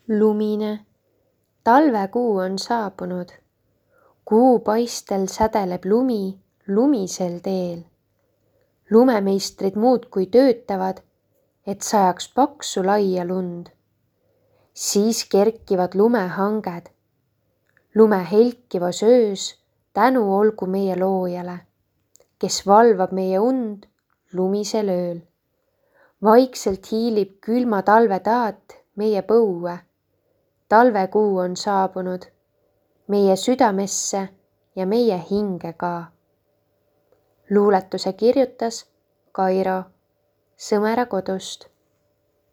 Lumine, talvekuu on saabunud. Kuupaistel sädeleb lumi lumisel teel. Lumemeistrid muudkui töötavad, et sajaks paksu laia lund. Siis kerkivad lumehanged. Lume helkivas öös tänu olgu meie loojale, kes valvab meie und lumisel ööl. Vaikselt hiilib külma talve taat meie põue. Talvekuu on saabunud meie südamesse ja meie hinge ka. Luuletuse kirjutas Kairo Sõmera kodust.